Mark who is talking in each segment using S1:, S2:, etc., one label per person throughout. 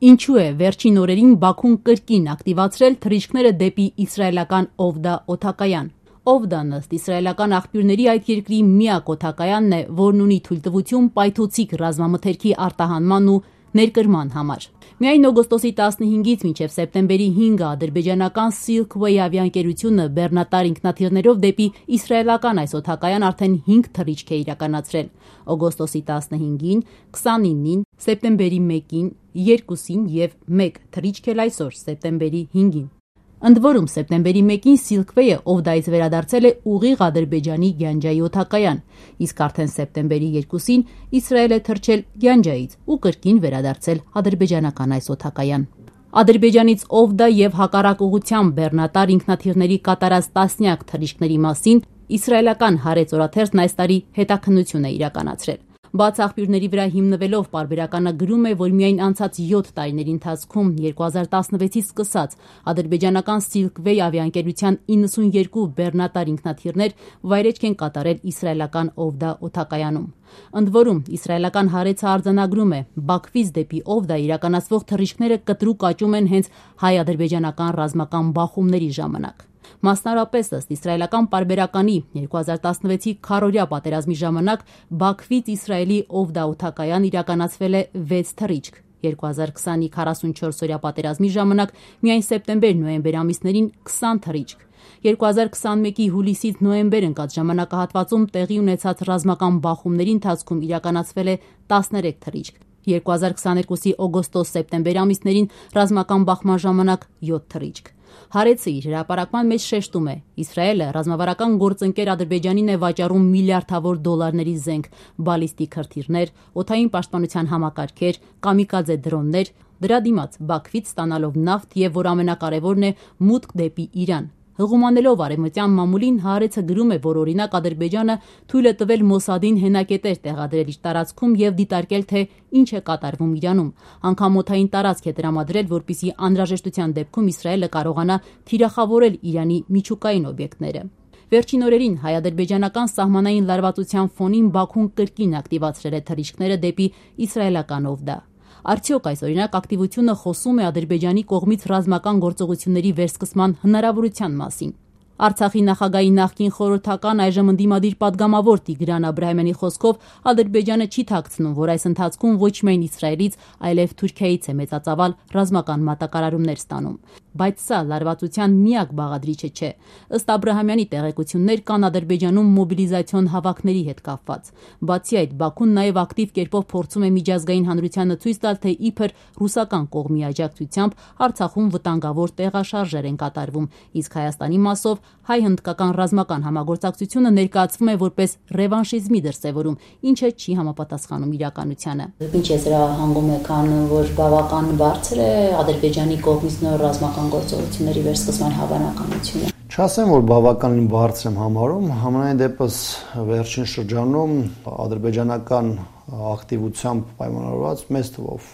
S1: Ինչու է վերջին օրերին Բաքուն կրկին ակտիվացրել թռիչքները դեպի իսրայելական Օվդա օդակայան։ Օվդան ըստ իսրայելական աղբյուրների այդ երկրի միակ օդակայանն է, որն ունի թույլտվություն պայթուցիկ ռազմամթերքի արտահանման ու ներկրման համար։ Միայն օգոստոսի 15-ից մինչև սեպտեմբերի 5-ը ադրբեջանական Silkway ավիաընկերությունը բեռնատար ինքնաթիռներով դեպի իսրայելական այս օդակայան արդեն 5 թռիչք է իրականացրել։ Օգոստոսի 15-ին, 29-ին, սեպտեմբերի 1-ին, 2-ին և 1 թռիչք էլ այսօր, սեպտեմբերի 5-ին։ Ընդ որում, սեպտեմբերի 1-ին Silkway-ը Օվդայից վերադարձել է ուղիղ Ադրբեջանի Գյանջայի օդակայան, իսկ արդեն սեպտեմբերի 2-ին Իսրայել է թռչել Գյանջայից ու կրկին վերադարձել ադրբեջանական այս օդակայան։ Ադրբեջանից Օվդա և հակառակ ուղղությամբ բեռնատար ինքնաթիռների կատարած տասնյակ թռիչքների մասին իսրայելական Haaretz օրաթերթն այս տարի հետաքննություն է իրականացրել։ Բաց աղբյուրների վրա հիմնվելով պարբերականը գրում է, որ միայն անցած 7 տարիների ընթացքում 2016-ից սկսած ադրբեջանական Silkway ավիաընկերության 92 բեռնատար ինքնաթիռներ վայրէջք են կատարել իսրայելական Օվդա օդակայանում։ Ընդ որում, իսրայելական Haaretz-ը արձանագրում է, Բաքվից դեպի Օվդա իրականացվող թռիչքները կտրուկ աճում են հենց հայ-ադրբեջանական ռազմական բախումների ժամանակ։ Մասնարապես ըստ իսրայելական պարբերականի 2016-ի քառօրյա պատերազմի ժամանակ Բաքվից Իսրայելի Օվդա օդակայան իրականացվել է 6 թռիչք, 2020-ի 44-օրյա պատերազմի ժամանակ միայն սեպտեմբեր-նոյեմբեր ամիսներին 20 թռիչք, 2021-ի հուլիսից նոյեմբեր ընկած ժամանակահատվածում տեղի ունեցած ռազմական բախումների ընթացքում իրականացվել է 13 թռիչք, 2022-ի օգոստոս-սեպտեմբեր ամիսներին ռազմական բախման ժամանակ 7 թռիչք։ Haaretz-ը իր հրապարակման մեջ շեշտում է. Իսրայելը ռազմավարական գործընկեր Ադրբեջանին է վաճառում միլիարդավոր դոլարների զենք, բալիստիկ հրթիռներ, օդային պաշտպանության համակարգեր, կամիկաձե դրոններ, դրա դիմաց Բաքվից ստանալով նավթ և, որ ամենակարևորն է, մուտք դեպի Իրան։ Հղումանելով արևմտյան մամուլին, Haaretz-ը գրում է, որ օրինակ Ադրբեջանը թույլ է տվել Մոսադին հենակետեր տեղադրել իր տարածքում և դիտարկել, թե ինչ է կատարվում Իրանում։ Անգամ օդային տարածք է տրամադրել, որպեսզի անհրաժեշտության դեպքում Իսրայելը կարողանա թիրախավորել Իրանի միջուկային օբյեկտները։ Վերջին օրերին հայ-ադրբեջանական սահմանային լարվածության ֆոնին Բաքուն կրկին ակտիվացրել է թռիչքները դեպի իսրայելական Օվդա։ Արդյոք այս օրինակ ակտիվությունը խոսում է Ադրբեջանի կողմից ռազմական գործողությունների վերսկսման հնարավորության մասին։ Արցախի նախագահի նախկին խորհրդական, այժմ ընդդիմադիր պատգամավոր Տիգրան Աբրահամյանի խոսքով Ադրբեջանը չի թաքցնում, որ այս ընթացքում ոչ միայն Իսրայելից, այլև Թուրքիայից է մեծածավալ ռազմական մատակարարումներ ստանում։ Բայց սա լարվածության միակ բաղադրիչը չէ։ Ըստ Աբրահամյանի տեղեկություններ կան Ադրբեջանում մոբիլիզացիոն հավաքների հետ կապված։ Բացի այդ, Բաքուն նաև ակտիվ կերպով փորձում է միջազգային հանրությանը ցույց տալ, թե իբր ռուսական կողմի աջակցությամբ Արցախում վտանգավոր տեղաշարժեր են կատարվում, իսկ Հայաստանի մասով հայ-հնդկական ռազմական համագործակցությունը ներկայացվում է որպես ռևանշիզմի դրսևորում, ինչը չի համապատասխանում իրականությանը։
S2: Ինչ է դրա հանգում եկան, որ բավական բարձր է Ադրբեջանի կողմից նոր ռազմական գործողությունների վերսկսման հավանականությունը։
S3: Չասեմ, որ բավականին բարձր եմ համարում, համենայն դեպս վերջին շրջանում ադրբեջանական ակտիվությամբ պայմանավորված, մեծ թվով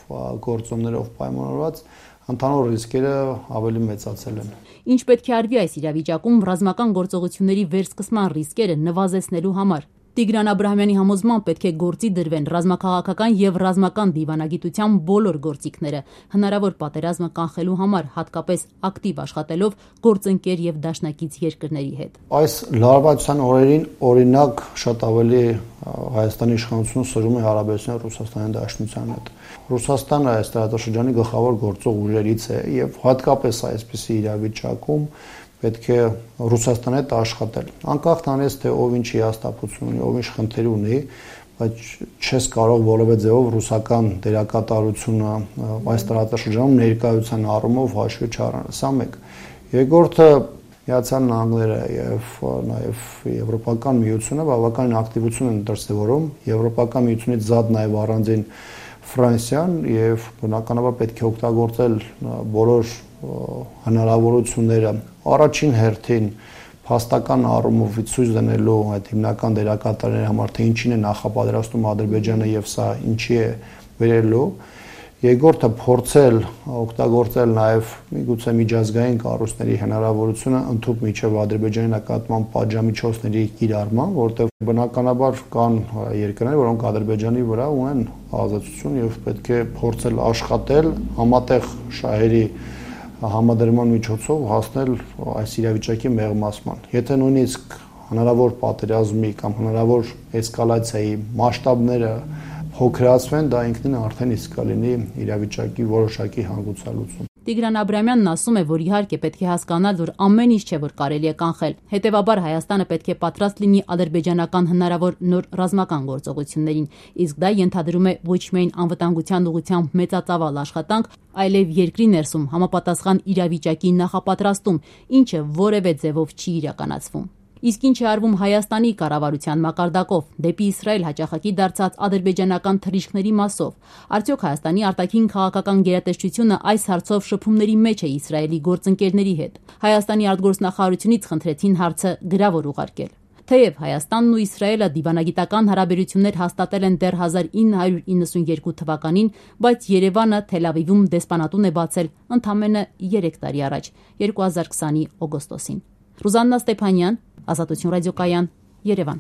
S3: գործոններով պայմանավորված ընդհանուր ռիսկերը ավելի մեծացել են։
S1: Ինչ պետք է արվի այս իրավիճակում ռազմական գործողությունների վերսկսման ռիսկերը նվազեցնելու համար։ Տիգրան Աբրահամյանի համոզմամբ պետք է գործի դրվեն ռազմաքաղաքական և ռազմական դիվանագիտության բոլոր գործիքները, հնարավոր պատերազմը կանխելու համար, հատկապես ակտիվ աշխատելով գործընկեր և դաշնակից երկրների հետ։
S3: Այս լարվածության օրերին օրինակ շատ ավելի Հայաստանի իշխանությունը սրում է հարաբերությունները Ռուսաստանի Դաշնության հետ։ Ռուսաստանը այս տարածաշրջանի գլխավոր գործող ուժերից է եւ հատկապես այսպիսի իրավիճակում պետք է Ռուսաստանի հետ աշխատել։ Անկախ նրանից, թե ով ինչ հիասթափություն ունի, ով ինչ խնդիր ունի, բայց չես կարող որևէ ձևով ռուսական դերակատարությունը այս տարածաշրջանում ներկայության առումով հաշվի չառնել։ Սա մեկ։ Երկրորդը Միացյալ Նահանգները եւ նաեւ Եվրոպական միությունը բավական ակտիվություն են դրսեւորում, Եվրոպական միությունից զատ նաեւ առանձին Ֆրանսիան եւ բնականաբար պետք է օգտագործել բոլոր հնարավորությունները առաջին հերթին փաստական առումով ցույց դնելու այդ հիմնական դերակատարների համար, թե ինչին է նախապատրաստում Ադրբեջանը եւ սա ինչի է վերելու Երկրորդը փորձել օգտագործել նաև միգուցե միջազգային կառույցների հնարավորությունը ընդհանուր միջև Ադրբեջանի նկատմամբ պատժամիջոցների կիրառման, որտեղ բնականաբար կան երկրներ, որոնք Ադրբեջանի վրա ունեն ազատություն եւ պետք է փորձել աշխատել համատեղ շահերի համադրման միջոցով հասնել այս իրավիճակի մեղմացման։ Եթե նույնիսկ հնարավոր պատերազմի կամ հնարավոր էսկալացիայի մասշտաբները փոքրացվեն, դա ինքնին արդեն իսկ կլինի իրավիճակի որոշակի հանգուցալուծում։
S1: Տիգրան Աբրամյանն ասում է, որ իհարկե պետք է հասկանալ, որ ամեն ինչ չէ, որ կարելի է կանխել։ Հետևաբար Հայաստանը պետք է պատրաստ լինի ադրբեջանական հնարավոր նոր ռազմական գործողություններին, իսկ դա ենթադրում է ոչ միայն անվտանգության ուղղությամբ մեծածավալ աշխատանք, այլև երկրի ներսում համապատասխան իրավիճակի նախապատրաստում, ինչը որևէ ձևով չի իրականացվում։ Իսկ ինչ է արվում Հայաստանի կառավարության մակարդակով դեպի Իսրայել հաճախակի դարձած ադրբեջանական թռիչքների մասով։ Արդյոք Հայաստանի արտաքին քաղաքական գերատեսչությունը այս հարցով շփումների մեջ է Իսրայելի գործընկերների հետ։ Հայաստանի արտգործնախարարությունից խնդրեցին հարցը գրավոր ուղարկել։ Թեև Հայաստանն ու Իսրայելը դիվանագիտական հարաբերություններ հաստատել են դեռ 1992 թվականին, բայց Երևանը Թել Ավիվում դեսպանատուն է բացել ընդամենը 3 տարի առաջ, 2020-ի օգոստոսին։ Ռուզաննա Ստեփանյան, Ազատություն ռադիոկայան, Երևան։